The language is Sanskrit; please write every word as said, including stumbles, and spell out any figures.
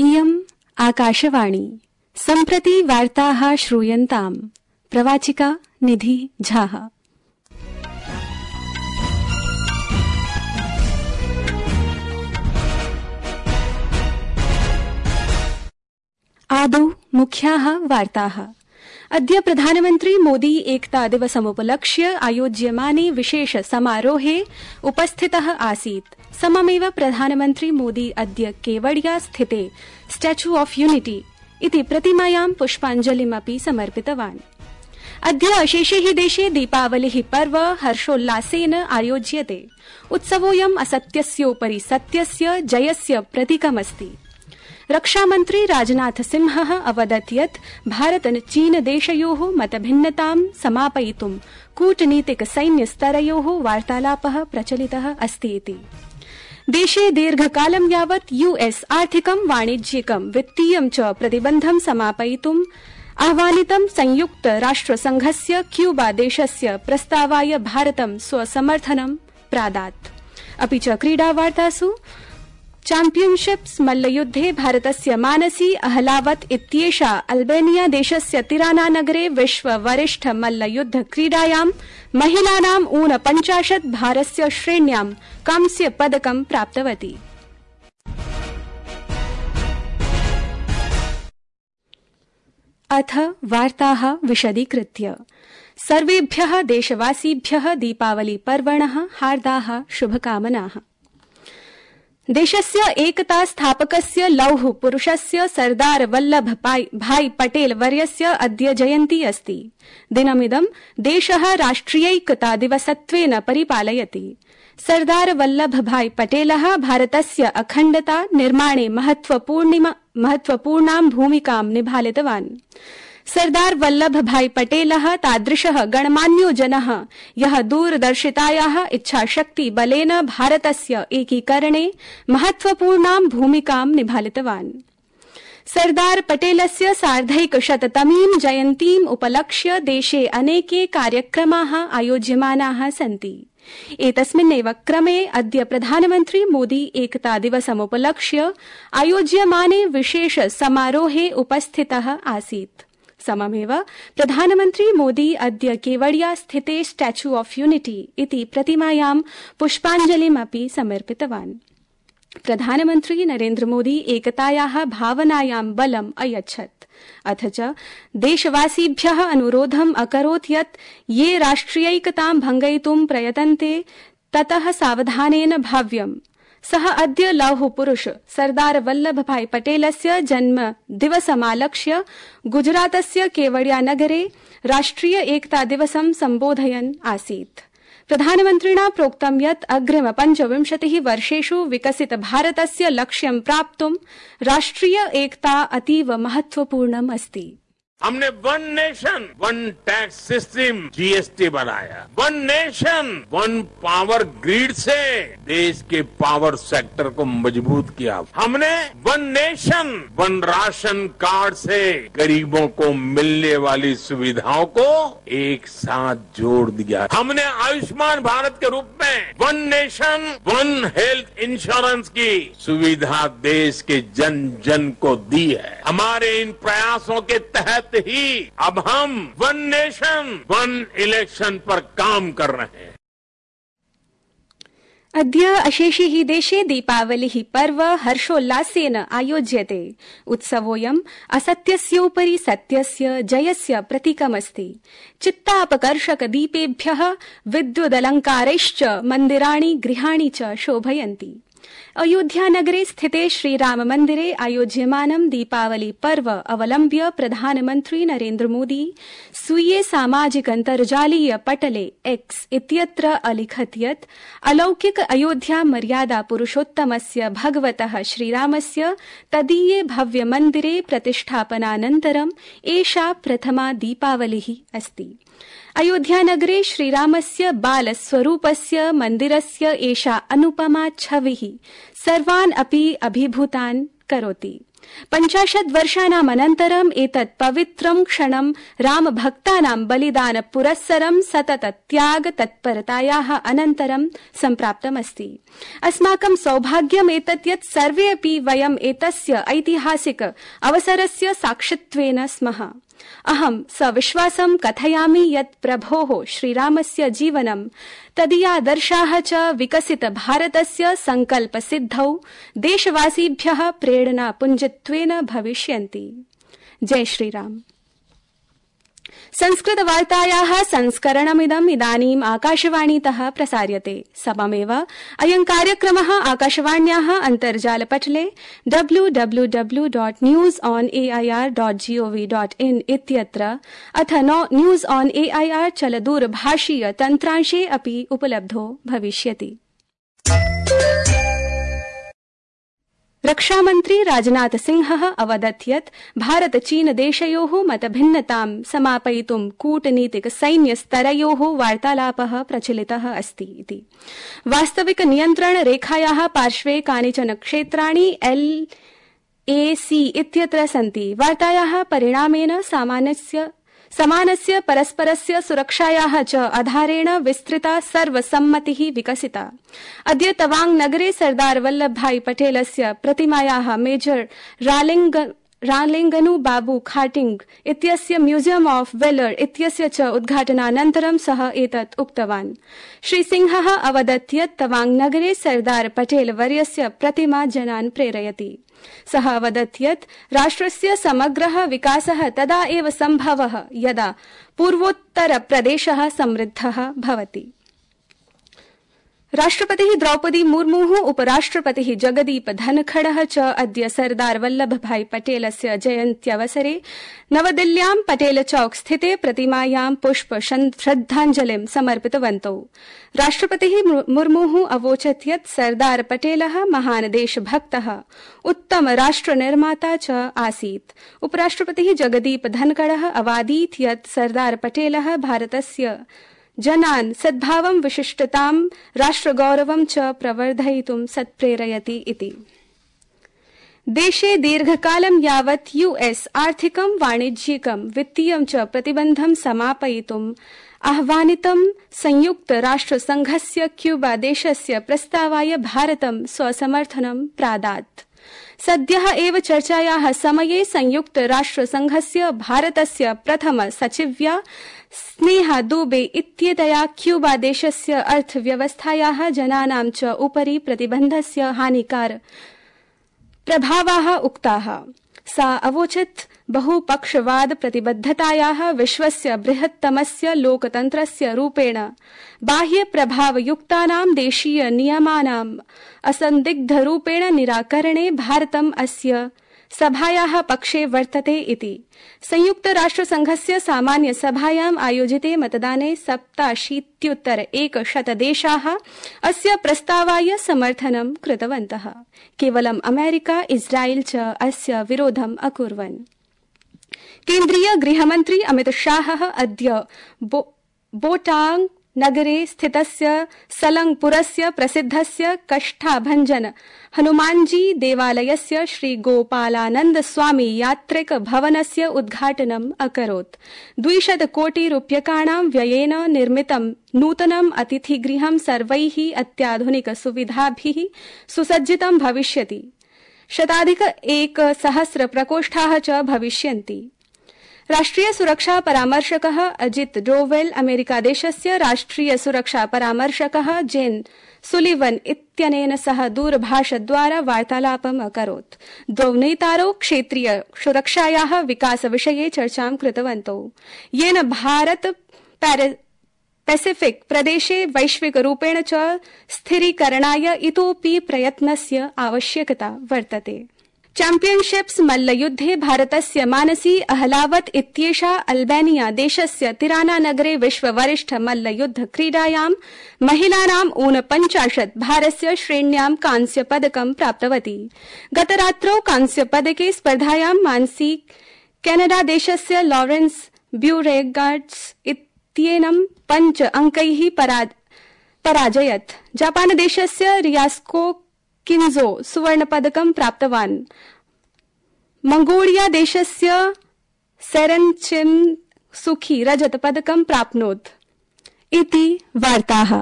इयम् आकाशवाणी सम्प्रति वार्ताः श्रूयन्ताम् प्रवाचिका निधि झाः। आदौ मुख्याः वार्ताः। अद्य प्रधानमन्त्री मोदी एकता दिवसमुपलक्ष्य आयोज्यमाने विशेष समारोहे उपस्थितः आसीत्। सममेव प्रधानमन्त्री मोदी अद्य केवडिया स्थिते स्टैच्यू ऑफ यूनिटी इति प्रतिमायां पुष्पाञ्जलिमपि समर्पितवान्। अद्य अशेषे हि देशे दीपावलिः पर्व हर्षोल्लासेन आयोज्यते। उत्सवोऽयम् असत्यस्योपरि सत्यस्य जयस्य प्रतीकमस्ति। रक्षामन्त्री राजनाथ सिंहः अवदत् यत् भारत चीन देशयोः मतभिन्नतां समापयितुं कूटनीतिक सैन्यस्तरयोः वार्तालापः प्रचलितः अस्ति इति। देशे दीर्घकालं यावत् यूएस आर्थिकं वाणिज्यिकं वित्तीयं च प्रतिबन्धं समापयितुम् आह्वानितं संयुक्त राष्ट्रसंघस्य क्यूबा देशस्य प्रस्तावाय भारतं स्वसमर्थनं प्रादात्। अपि च क्रीडावार्तासु चैम्पियनशिप्स मल्लयुद्धे भारतस्य मानसी अहलावत इत्येषा अल्बेनिया देशस्य तिराना नगरे विश्व वरिष्ठ मल्लयुद्ध क्रीडायां महिलानां ऊनपञ्चाशत् भारस्य श्रेण्यां कांस्य पदकं प्राप्तवती। अथ वार्ताः विशदीकृत्य। सर्वेभ्यः देशवासिभ्यः दीपावली पर्वणः हार्दाः शुभकामनाः। देशस्य एकता स्थापकस्य लौह पुरुषस्य सरदार वल्लभ भाई पटेल वर्यस्य अद्य जयन्ती अस्ति। दिनमिदं देशः राष्ट्रियैकता दिवसत्वेन परिपालयति। सरदार वल्लभ भाई पटेलः भारतस्य अखण्डता निर्माणे महत्वपूर्णां भूमिकां निभालितवान्। सरदार वल्लभ भाई पटेलः तादृशः गणमान्यो जनः यः दूरदर्शितायाः इच्छाशक्ति बलेन भारतस्य एकीकरणे महत्वपूर्णां भूमिकां निभालितवान्। सरदार पटेलस्य सार्धैकशततमीं जयन्तीम् उपलक्ष्य देशे अनेके कार्यक्रमाः आयोज्यमानाः सन्ति। एतस्मिन्नेव क्रमे अद्य प्रधानमन्त्री मोदी एकता दिवसमुपलक्ष्य आयोज्यमाने विशेष समारोहे उपस्थितः आसीत्। सममेव प्रधानमन्त्री मोदी अद्य केवडिया स्थिते स्टैच्यू ऑफ यूनिटी इति प्रतिमायां पुष्पाञ्जलिमपि समर्पितवान्। प्रधानमन्त्री नरेन्द्र मोदी एकतायाः भावनायां बलम् अयच्छत्। अथ च देशवासिभ्यः अनुरोधम् अकरोत् यत् ये राष्ट्रियैकतां भङ्गयितुं प्रयतन्ते ततः सावधानेन भाव्यम्। सः अद्य लौह पुरुष सरदार वल्लभ भाई पटेलस्य जन्म दिवसमालक्ष्य गुजरातस्य केवडिया नगरे राष्ट्रिय एकता दिवसं सम्बोधयन् आसीत्। प्रधानमन्त्रिणा प्रोक्तं यत् अग्रिम पञ्चविंशतिः वर्षेषु विकसित भारतस्य लक्ष्यं प्राप्तुं राष्ट्रिय एकता अतीव महत्वपूर्णम् अस्ति। हमने वन नेशन वन टैक्स सिस्टम जीएसटी बनाया। वन नेशन वन पावर ग्रिड से देश के पावर सेक्टर को मजबूत किया। हमने वन नेशन वन राशन कार्ड से गरीबों को मिलने वाली सुविधाओं को एक साथ जोड़ दिया। हमने आयुष्मान भारत के रूप में वन नेशन वन हेल्थ इंश्योरेंस की सुविधा देश के जन जन को दी है। हमारे इन प्रयासों के तहत ही अब हम वन नेशन वन इलेक्शन पर काम कर रहे हैं। अद्य अशेषे हि देशे दीपावलिः पर्व हर्षोल्लासेन आयोज्यते। उत्सवोऽयम् असत्यस्योपरि सत्यस्य जयस्य प्रतीकमस्ति। चित्तापकर्षक दीपेभ्यः विद्युदलङ्कारैश्च मन्दिराणि गृहाणि च शोभयन्ति। अयोध्यानगरे स्थिते श्रीराम मन्दिरे आयोज्यमानं दीपावली पर्व अवलम्ब्य प्रधानमन्त्री नरेन्द्र मोदी स्वीये सामाजिकन्तर्जालीय पटले एक्स इत्यत्र अलिखत् यत् अलौकिक अयोध्या मर्यादा पुरुषोत्तमस्य भगवतः श्रीरामस्य तदीये भव्य मन्दिरे प्रतिष्ठापनानन्तरम् एषा प्रथमा दीपावलिः अस्ति। अयोध्यानगरे श्रीरामस्य बालस्वरूपस्य मन्दिरस्य एषा अनुपमा छविः सर्वान् अपि अभिभूतान् करोति। पञ्चाशत् वर्षाणाम् अनन्तरम् एतत् पवित्रं क्षणं रामभक्तानां बलिदान पुरस्सरं सतत त्याग तत्परतायाः अनन्तरं सम्प्राप्तमस्ति। अस्माकं सौभाग्यम् एतत् यत् सर्वे अपि वयम् एतस्य ऐतिहासिक अवसरस्य साक्षित्वेन स्मः। अहं सविश्वासं कथयामि यत् प्रभोः श्रीरामस्य जीवनं तदीयादर्शाः च विकसित भारतस्य संकल्पसिद्धौ देशवासिभ्यः प्रेरणापुञ्जत्वेन भविष्यन्ति। जय श्रीराम। संस्कृतवार्तायाः संस्करणमिदम् इदानीम् आकाशवाणीतः प्रसार्यते। सममेव अयं कार्यक्रमः आकाशवाण्याः अन्तर्जालपटले W W W dot news on A I R dot G O V dot in इत्यत्र अथ news on A I R चलदूरभाषीय तन्त्रांशे अपि उपलब्धो भविष्यति। रक्षामन्त्री राजनाथ सिंहः अवदत् यत् भारत चीन देशयोः मतभिन्नतां समापयितुं कूटनीतिक सैन्य स्तरयोः वार्तालापः प्रचलितः अस्ति इति। वास्तविक नियन्त्रण रेखायाः पार्श्वे कानिचन क्षेत्राणि एल ए सी इत्यत्र सन्ति। वार्तायाः परिणामेन सामान्यस्य समानस्य परस्परस्य सुरक्षायाः च आधारेण विस्तृता सर्वसम्मतिः विकसिता। अद्य तवांग नगरे सरदार वल्लभभाई पटेलस्य प्रतिमायाः मेजर रालिंग रालिंगनु बाबू खाटिंग इत्यस्य म्यूजियम ऑफ वेलर इत्यस्य च उद्घाटनानन्तरं सः एतत् उक्तवान्। श्री सिंहः अवदत् यत् तवांग नगरे सरदार पटेल वर्यस्य प्रतिमा जनान् प्रेरयति। सः अवदत् यत् राष्ट्रस्य समग्रः विकासः तदा एव सम्भवः यदा पूर्वोत्तरप्रदेशः समृद्धः भवति। राष्ट्रपतिः द्रौपदी मुर्मुः उपराष्ट्रपतिः जगदीप धनखडः च अद्य सरदार वल्लभभाई पटेलस्य जयन्त्यवसरे नवदिल्ल्यां पटेल चौक स्थिते प्रतिमायां पुष्प श्रद्धाञ्जलिं समर्पितवन्तौ। राष्ट्रपतिः मुर्मुः अवोचत् यत् सरदार पटेलः महान् देशभक्तः उत्तम राष्ट्रनिर्माता च आसीत्। उपराष्ट्रपतिः जगदीप धनखडः अवादीत् यत् सरदार पटेलः भारतस्य जनान् सद्भावं विशिष्टतां राष्ट्रगौरवं च प्रवर्धयितुं सत्प्रेरयति इति। देशे दीर्घकालं यावत् यूएस आर्थिकं वाणिज्यिकं वित्तीयं च प्रतिबन्धं समापयितुम् आह्वानितं संयुक्त राष्ट्रसंघस्य क्यूबा देशस्य प्रस्तावाय भारतं स्वसमर्थनं प्रादात्। सद्यः एव चर्चायाः समये संयुक्त राष्ट्रसंघस्य भारतस्य प्रथम सचिव्या स्नेहा दुबे इत्येतया क्यूबा देशस्य अर्थव्यवस्थायाः जनानां च उपरि प्रतिबन्धस्य हानिकार प्रभावाः उक्ताः। सा अवोचत् बहुपक्षवाद प्रतिबद्धतायाः विश्वस्य बृहत्तमस्य लोकतन्त्रस्य रूपेण बाह्य प्रभावयुक्तानां देशीय नियमानाम् असन्दिग्धरूपेण निराकरणे भारतम् अस्य सभायाः पक्षे वर्तते इति। संयुक्त राष्ट्रसंघस्य सामान्य सभायाम् आयोजिते मतदाने सप्ताशीत्युत्तर एकशत देशाः अस्य प्रस्तावाय समर्थनं कृतवन्तः। केवलम् अमेरिका इस्राएल च अस्य विरोधम् अकुर्वन्। केन्द्रीय गृहमन्त्री अमित शाहः अद्य बो, बोटांग नगरे स्थितस्य सलंगपुरस्य प्रसिद्धस्य कष्ठाभञ्जन हनुमानजी देवालयस्य श्री गोपालानंद स्वामी यात्रिक भवनस्य उद्घाटनम् अकरोत्। द्विशत कोटि रूप्यकाणां व्ययेन निर्मितं नूतनम् अतिथिगृहं सर्वैः अत्याधुनिक सुविधाभिः सुसज्जितं भविष्यति। शताधिक एकसहस्र प्रकोष्ठाः च भविष्यन्ति। राष्ट्रिय सुरक्षा परामर्शकः अजित डोवेल अमेरिकादेशस्य राष्ट्रिय सुरक्षा परामर्शकः जेन सुलिवन इत्यनेन सह दूरभाषद्वारा वार्तालापम् अकरोत्। द्वौ नेतारौ क्षेत्रीय सुरक्षायाः विकासविषये चर्चां कृतवन्तौ, येन भारत पैसिफिक प्रदेशे वैश्विकरूपेण च स्थिरीकरणाय इतोऽपि प्रयत्नस्य आवश्यकता वर्तते। चैम्पियनशिप्स मल्लयुद्धे भारतस्य मानसी अहलावत इत्येषा अल्बेनिया देशस्य तिराना नगरे विश्ववरिष्ठ मल्लयुद्ध क्रीडायां महिलानाम् ऊनपञ्चाशत् भारस्य श्रेण्यां कांस्यपदकं प्राप्तवती। गतरात्रौ कांस्यपदके स्पर्धायां मानसी कैनाडा देशस्य लॉरेंस ब्यूरेगार्ड्स इत्येनं पञ्च अंकैः पराजयत्। जापान देशस्य रियास्को किन्जो सुवर्णपदकं प्राप्तवान्। मंगोलिया देशस्य सेरेन्चिन सुखी रजत पदकं प्राप्नोत् इति वार्ताः।